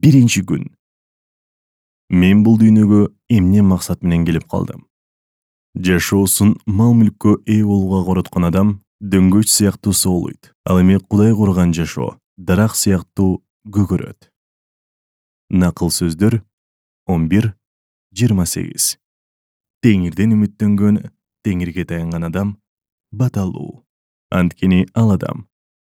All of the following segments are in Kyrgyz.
Биринчи күн. Мен бул дүйнөгө эмне максат менен келип калдым? Жашоосун мал-мүлккө ээ болууга короткон адам дөңгөч сыяктуу соолойт. Ал эми Кудай курган жашоо дарак сыяктуу көгөрөт. Накыл сөздөр 11:28. Теңирден үмүттөнгөн, теңирге таянган адам баталуу. Анткени ал адам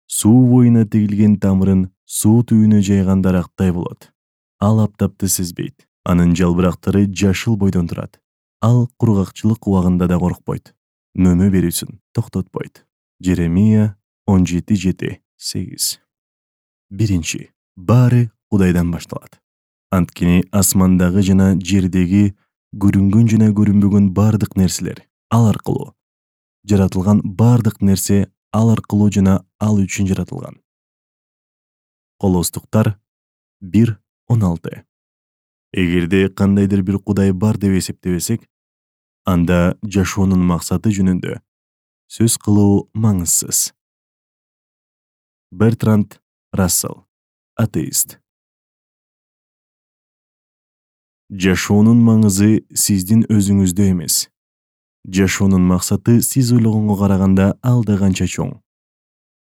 суу боюна тигилген тамырын суу түбүнө жайган дарактай болот. Ал аптапты сезбейт. Анын жалбырактары жашыл бойдон турат. Ал кургакчылык убагында да коркпойт. Мөмө берүүсүн токтотпойт. Жеремия 17:7-8. Биринчи. Баары Кудайдан башталат. Анткени асмандагы жана жердеги көрүнгөн жана көрүнбөгөн бардык нерселер ал аркылуу жаратылган, бардык нерсе ал аркылуу жана ал үчүн жаратылган. Колостуктар 1:16. Эгерде кандайдыр бир Кудай бар деп эсептебесек, анда жашоонун максаты жөнүндө сөз кылуу маңызсыз. Бертранд Рассел, атеист. Жашоонун маңызы сиздин өзүңүздө эмес. Жашоонун максаты сиз ойлогонго караганда алда канча чоң.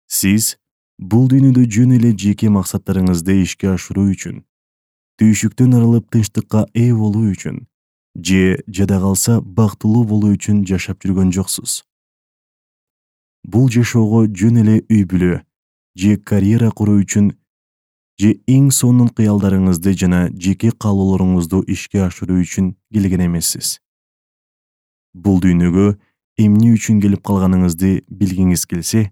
Сиз бул дүйнөдө жөн эле жеке максаттарыңызды ишке ашыруу үчүн, түйшүктөн арылып тынчтыкка ээ болуу үчүн же жада калса бактылуу болуу үчүн жашап жүргөн жоксуз. Бул жашоого жөн эле үй-бүлө же карьера куруу үчүн же эң сонун кыялдарыңызды жана жеке каалоолоруңузду ишке ашыруу үчүн келген эмессиз. Бул дүйнөгө эмне үчүн келип калганыңызды билгиңиз келсе,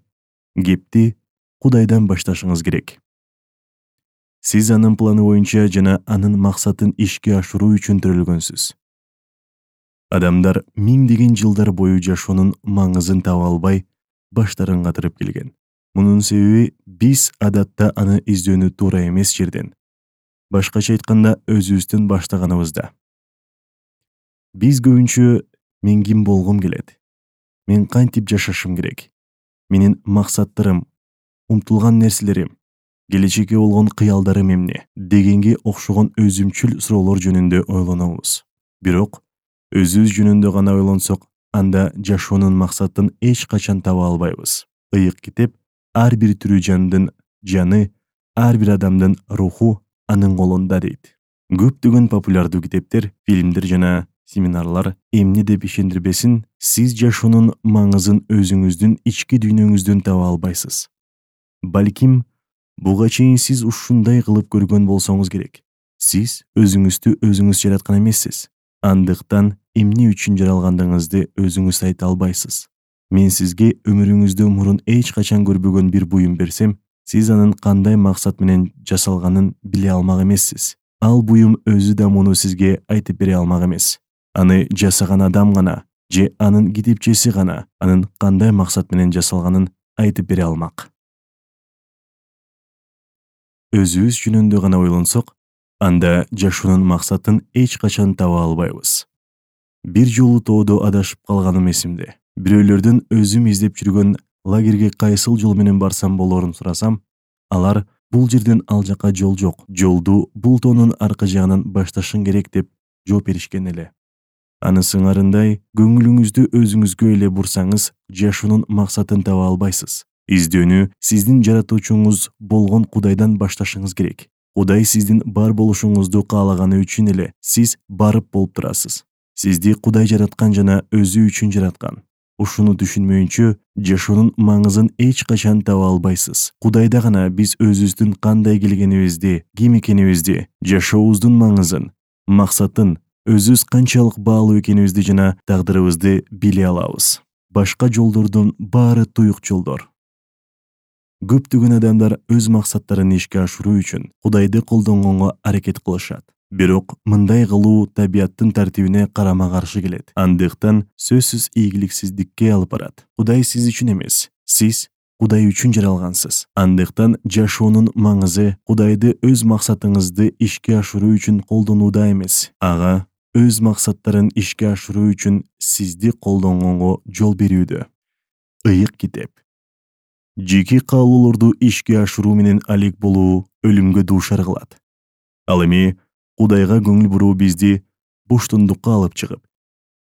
кепти Кудайдан башташыңыз керек. Сиз анын планы боюнча жана анын максатын ишке ашыруу үчүн төрөлгөнсүз. Адамдар миңдеген жылдар бою жашоонун маңызын таба албай, баштарын катырып келген. Мунун себеби биз адатта аны издөөнү туура эмес жерден, башкача айтканда өзүбүздөн баштаганыбызда. Биз көбүнчө мен ким болгум келет? Мен кантип жашашым керек? Менин максаттарым, умтулган нерселерим, келечекке болгон кыялдарым эмне? Дегенге окшогон өзүмчүл суроолор жөнүндө ойлонобуз. Бирок өзүбүз жөнүндө гана ойлонсок, анда жашоонун максатын эч качан таба албайбыз. Ыйык китеп ар бир тирүү жандын жаны, ар бир адамдын руху анын колунда дейт. Көптөгөн популярдуу китептер, фильмдер жана семинарлар эмне деп ишендирбесин, сиз жашоонун маңызын өзүңүздүн ички дүйнөңүздөн таба албайсыз. Балким, буга чейин сиз ушундай кылып көргөн болсоңуз керек. Сиз өзүңүздү өзүңүз жараткан эмессиз. Андыктан эмне үчүн жаралгандыгыңызды өзүңүз айта албайсыз. Мен сизге өмүрүңүздө мурун эч качан көрбөгөн бир буюм берсем, сиз анын кандай максат менен жасалганын биле алмак эмессиз. Ал буюм өзү да муну сизге айтып бере алмак эмес. Аны жасаган адам гана же анын китепчеси гана анын кандай максат менен жасалганын айтып бере алмак. Өзүбүз жөнүндө гана ойлонсок, анда жашоонун максатын эч качан таба албайбыз. Бир жолу тоодо адашып калганым эсимде. Бирөөлөрдөн өзүм издеп жүргөн лагерге кайсыл жол менен барсам болорун сурасам, алар бул жерден ал жака жол жок, жолду бул тоонун аркы жагынан башташың керек деп жооп беришкен эле. Анысы ыңарындай, көңүлүңүздү өзүңүзгө эле бурсаңыз, жашоонун максатын таба албайсыз. Издөөнү сиздин жаратуучуңуз болгон Кудайдан башташыңыз керек. Кудай сиздин бар болушуңузду каалаганы үчүн эле сиз барып болуп турасыз. Сизди Кудай жараткан жана өзү үчүн жараткан. Ушуну түшүнмөйүнчө, жашоонун маңызын эч качан таба албайсыз. Кудайда гана биз өзүбүздүн кандай келгенибизди, ким экенибизди, жашообуздун маңызын, максатын, өзүбүз канчалык баалуу экенибизди жана тагдырыбызды биле алабыз. Башка жолдордун баары туюк жолдор. Көптөгөн адамдар өз максаттарын ишке ашыруу үчүн Кудайды колдонгонго аракет кылышат. Бирок мындай кылуу табияттын тартибине карама-каршы келет. Андыктан сөзсүз ийгиликсиздикке алып барат. Кудай сиз үчүн эмес, сиз Кудай үчүн жаралгансыз. Андыктан жашоонун маңызы Кудайды өз максатыңызды ишке ашыруу үчүн колдонууда эмес, ага өз максаттарын ишке ашыруу үчүн сизди колдонгонго жол берүүдө. Ыйык китеп. Жеке каалоолорду ишке ашыруу менен алек болуу өлүмгө дуушар кылат. Ал эми Кудайга көңүл буруу бизди боштондукка алып чыгып,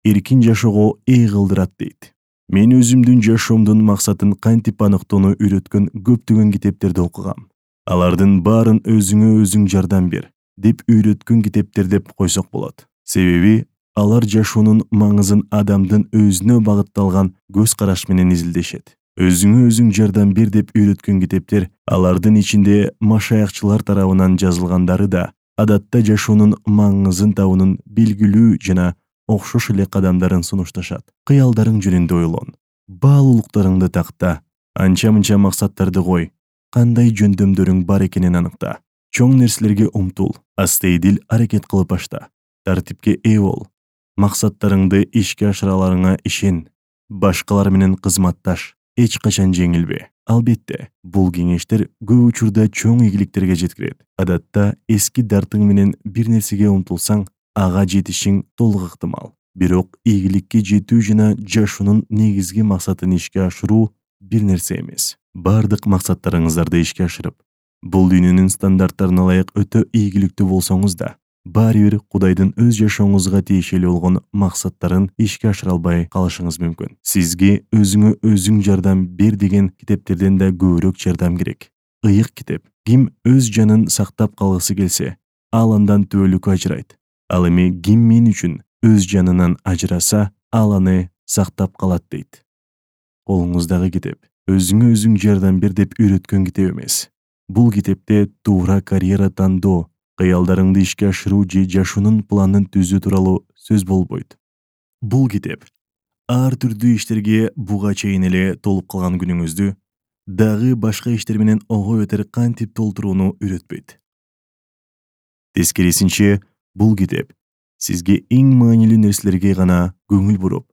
эркин жашоого ээ кылдырат дейт. Мен өзүмдүн жашоомдун максатын кантип аныктоону үйрөткөн көптөгөн китептерди окугам. Алардын баарын өзүңө өзүң жардам бер деп үйрөткөн китептер деп койсок болот. Себеби алар жашоонун маңызын адамдын өзүнө багытталган көз караш менен изилдешет. Өзүңө өзүң жардам бер деп үйрөткөн китептер, алардын ичинде машаякчылар тарабынан жазылгандары да адатта жашоонун маңызын табуунун белгилүү жана окшош эле кадамдарын сунушташат. Кыялдарың жөнүндө ойлон, баалуулуктарыңды такта, анча-мынча максаттарды кой, кандай жөндөмдөрүң бар экенин аныкта. Чоң нерселерге умтул, астейдил аракет кылып башта, тартипке ээ бол, максаттарыңды ишке ашыраларыңа ишен, башкалар менен кызматташ, эч качан жеңилбе. Албетте, бул кеңештер көп учурда чоң ийгиликтерге жеткирет. Адатта эски дартың менен бир нерсеге умтулсаң, ага жетишиң толук ыктымал. Бирок ийгиликке жетүү жана жашоонун негизги максатын ишке ашыруу бир нерсе эмес. Бардык максаттарыңыздарды ишке ашырып, бул дүйнөнүн стандарттарына ылайык өтө ийгиликтүү болсоңуз да, баары бир Кудайдын өз жашооңузга тиешелүү болгон максаттарын ишке ашыра албай калышыңыз мүмкүн. Сизге өзүңө өзүң жардам бер деген китептерден да көбүрөөк жардам керек. Ыйык китеп. Ким өз жанын сактап калгысы келсе, ал андан түбөлүккө ажырайт. Ал эми ким мен үчүн өз жанынан ажыраса, ал аны сактап калат дейт. Колуңуздагы китеп өзүңө өзүң жардам бер деп үйрөткөн китеп эмес. Бул китепте туура карьера тандоо, кыялдарыңды ишке ашыруу же жашоонун планын түзүү тууралуу сөз болбойт. Бул китеп ар түрдүү иштерге буга чейин эле толуп калган күнүңүздү дагы башка иштер менен ого бетер кантип толтурууну үйрөтпөйт. Тескерисинче, бул китеп сизге эң маанилүү нерселерге гана көңүл буруп,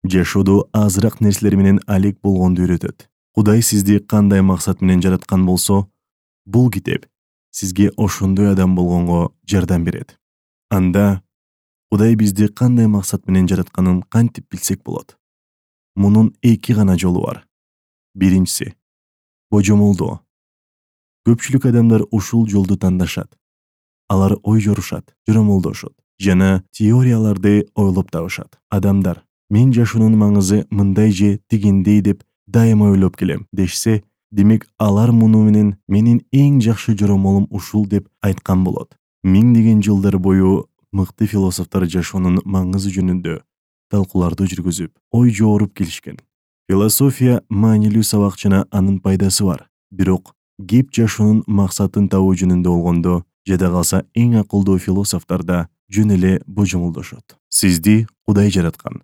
жашоодо азыраак нерселер менен алек болгонду үйрөтөт. Кудай сизди кандай максат менен жараткан болсо, бул китеп сизге ошондой адам болгонго жардам берет. Анда Кудай бизди кандай максат менен жаратканын кантип билсек болот? Мунун эки гана жолу бар. Биринчиси — божомолдоо. Көпчүлүк адамдар ушул жолду тандашат. Алар ой жорушат, жоромолдошот жана теорияларды ойлоп табышат. Адамдар мен жашоонун маңызы мындай же тигиндей деп дайыма ойлоп келем дешсе, демек алар муну менен менин эң жакшы жоромолум ушул деп айткан болот. Миңдеген жылдар бою мыкты философтор жашоонун маңызы жөнүндө талкууларды жүргүзүп, ой жооруп келишкен. Философия маанилүү сабак жана анын пайдасы бар. Бирок кеп жашоонун максатын табуу жөнүндө болгондо, жада калса эң акылдуу философтор да жөн эле божомолдошот. Сизди Кудай жараткан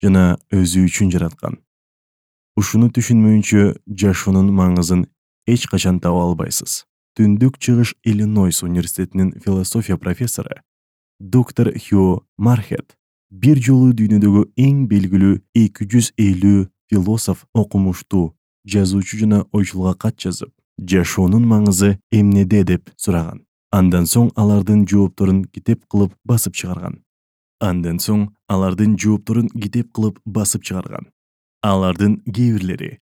жана өзү үчүн жараткан. Ушуну түшүнмөйүнчө жашоонун маңызын эч качан таба албайсыз. Түндүк Чыгыш Иллинойс университетинин философия профессору доктор Хью Мархет бир жолу дүйнөдөгү эң белгилүү 250 философ, окумуштуу, жазуучу жана ойчулга кат жазып, жашоонун маңызы эмнеде деп сураган. Андан соң алардын жоопторун китеп кылып басып чыгарган. Алардын кээ бирлери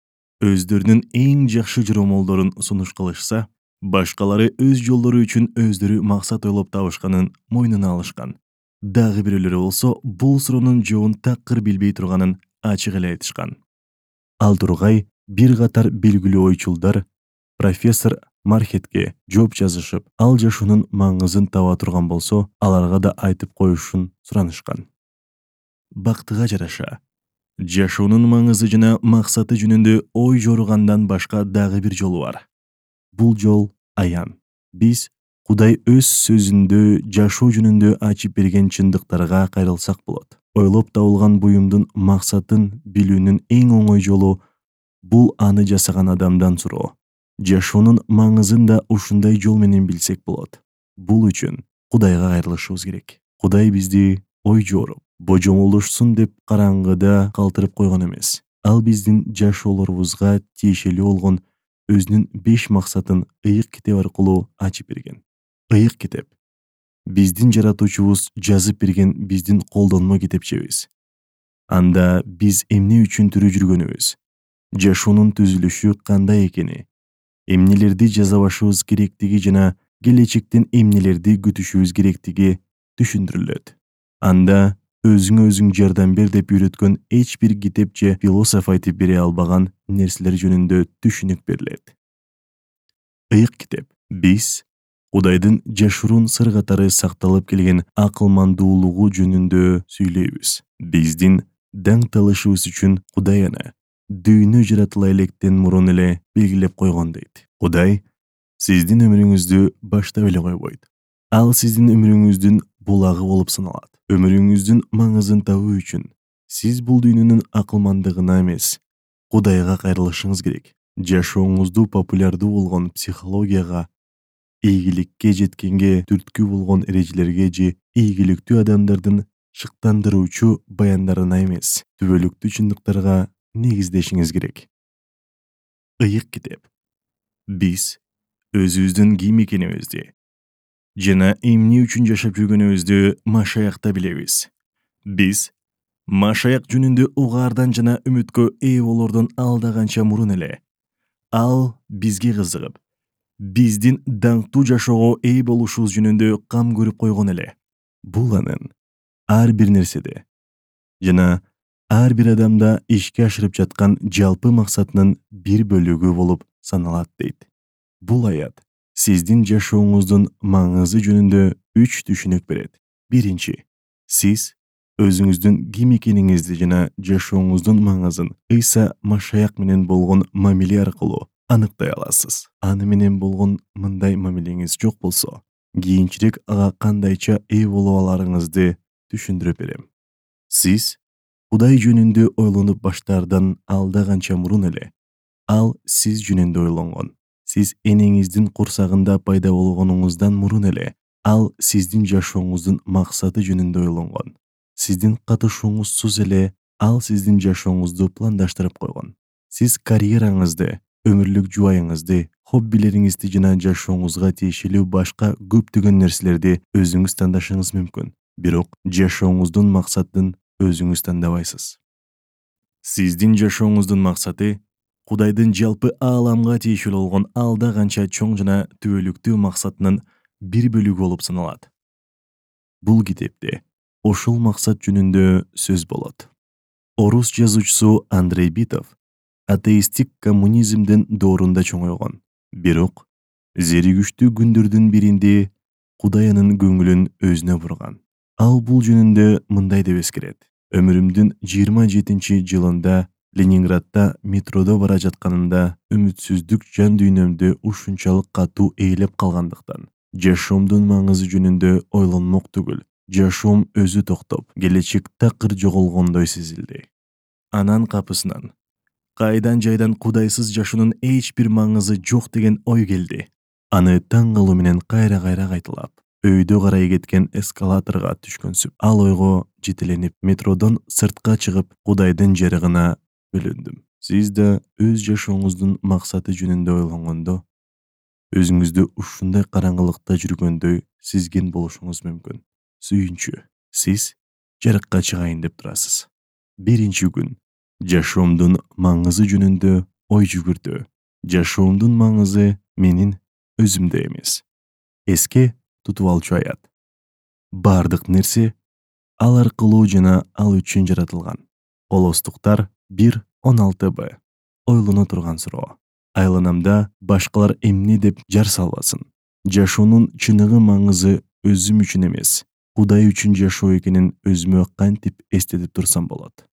өздөрүнүн эң жакшы жоромолдорун сунуш кылышса, башкалары өз жолдору үчүн өздөрү максат ойлоп табышканын мойнуна алышкан. Дагы бирөөлөрү болсо бул суроонун жообун такыр билбей турганын ачык эле айтышкан. Ал тургай бир катар белгилүү ойчулдар профессор Мархетке жооп жазышып, ал жашоонун маңызын таба турган болсо, аларга да айтып коюшун суранышкан. Бактыга жараша, жашоонун маңызы жана максаты жөнүндө ой жоругандан башка дагы бир жолу бар. Бул жол аян. Биз Кудай өз сөзүндө жашоо жөнүндө ачып берген чындыктарга кайрылсак болот. Ойлоп табылган буюмдун максатын билүүнүн эң оңой жолу бул аны жасаган адамдан суроо. Жашоонун маңызын да ушундай жол менен билсек болот. Бул үчүн Кудайга кайрылышыбыз керек. Кудай бизди ой жооруп, божомолдошсун деп караңгыда калтырып койгон эмес. Ал биздин жашоолорубузга тиешелүү болгон өзүнүн 5 максатын ыйык китеп аркылуу ачып берген. Ыйык китеп биздин жаратуучубуз жазып берген биздин колдонмо китепчебиз. Анда биз эмне үчүн тирүү жүргөнүбүз, жашоонун түзүлүшү кандай экени, эмнелерди жаза башыбыз керектиги жана келечектен эмнелерди күтүшүбүз керектиги түшүндүрүлөт. Анда өзүңө өзүң жардам бер деп үйрөткөн эч бир китеп же философ айтып бере албаган нерселер жөнүндө түшүнүк берилет. Ыйык китеп. Биз Кудайдын жашыруун сыр катары сакталып келген акылмандуулугу жөнүндө сүйлөйбүз. Биздин даңкталышыбыз үчүн Кудай аны дүйнө жаратыла электен мурун эле белгилеп койгон дейт. Кудай сиздин өмүрүңүздү баштап эле койбойт. Ал сиздин өмүрүңүздүн булагы болуп саналат. Өмүрүңүздүн маңызын табуу үчүн сиз бул дүйнөнүн акылмандыгына эмес, Кудайга кайрылышыңыз керек. Жашооңузду популярдуу болгон психологияга, ийгиликке жеткенге түрткү болгон эрежелерге же ийгиликтүү адамдардын шыктандыруучу баяндарына эмес, түбөлүктүү чындыктарга негиздешиңиз керек. Ыйык китеп. Биз өзүбүздүн ким экенибизди жана эмне үчүн жашап жүргөнүбүздү Машаякта билебиз. Биз Машаяк жөнүндө угаардан жана үмүткө ээ болордон алда канча мурун эле ал бизге кызыгып, биздин даңктуу жашоого ээ болушубуз жөнүндө кам көрүп койгон эле. Бул анын ар бир нерседе жана ар бир адамда ишке ашырып жаткан жалпы максатынын бир бөлүгү болуп саналат дейт. Бул аят сиздин жашооңуздун маңызы жөнүндө 3 түшүнүк берет. Биринчи, сиз өзүңүздүн ким экениңизди жана жашооңуздун маңызын Ыйса Машаяк менен болгон мамиле аркылуу аныктай аласыз. Аны менен болгон мындай мамилеңиз жок болсо, кийинчерээк ага кандайча ээ боло аларыңызды түшүндүрүп берем. Сиз Кудай жөнүндө ойлонуп баштаардан алда канча мурун эле ал сиз жөнүндө ойлонгон. Сиз энеңиздин курсагында пайда болгонуңуздан мурун эле ал сиздин жашооңуздун максаты жөнүндө ойлонгон. Сиздин катышууңузсуз эле ал сиздин жашооңузду пландаштырып койгон. Сиз карьераңызды, өмүрлүк жубайыңызды, хоббилериңизди жана жашооңузга тиешелүү башка көптөгөн нерселерди өзүңүз тандашыңыз мүмкүн. Бирок жашооңуздун максатын өзүңүз тандабайсыз. Сиздин жашооңуздун максаты Кудайдын жалпы ааламга тиешелүү болгон алда канча чоң жана түбөлүктүү максатынын бир бөлүгү болуп саналат. Бул китепте ошол максат жөнүндө сөз болот. Орус жазуучусу Андрей Битов атеисттик коммунизмдин доорунда чоңойгон. Бирок зеригүчтүү күндөрдүн биринде Кудай анын көңүлүн өзүнө бурган. Ал бул жөнүндө мындай деп эскерет. Өмүрүмдүн 27-жылында Ленинградда метродо бара жатканымда үмүтсүздүк жан дүйнөмдү ушунчалык катуу ээлеп калгандыктан жашоомдун маңызы жөнүндө ойлонмок түгүл, жашоом өзү токтоп, келечек такыр жоголгондой сезилди. Анан капысынан кайдан жайдан Кудайсыз жашоонун эч бир маңызы жок деген ой келди. Аны таң калуу менен кайра-кайра кайталап, өйдө карай кеткен эскалаторго түшкөнсүп, ал ойго жетеленип, метродон сыртка чыгып, Кудайдын жарыгына бөлөндүм. Сиз да өз жашооңуздун максаты жөнүндө ойлонгондо, өзүңүздү ушундай караңгылыкта жүргөндөй сезген болушуңуз мүмкүн. Сүйүнчү, сиз жарыкка чыгайын деп турасыз. Биринчи күн жашоомдун маңызы жөнүндө ой жүгүртүү. Жашоомдун маңызы менин өзүмдө эмес. Эске тутуп алчу аят. Бардык нерсе ал аркылуу жана ал үчүн жаратылган. Колостуктар 1:16б. Ойлоно турган суроо. Айланамда башкалар эмне деп жар салбасын. Жашоонун чыныгы маңызы өзүм үчүн эмес, Кудай үчүн жашоо экенин өзүмө кантип эстетип турсам болот.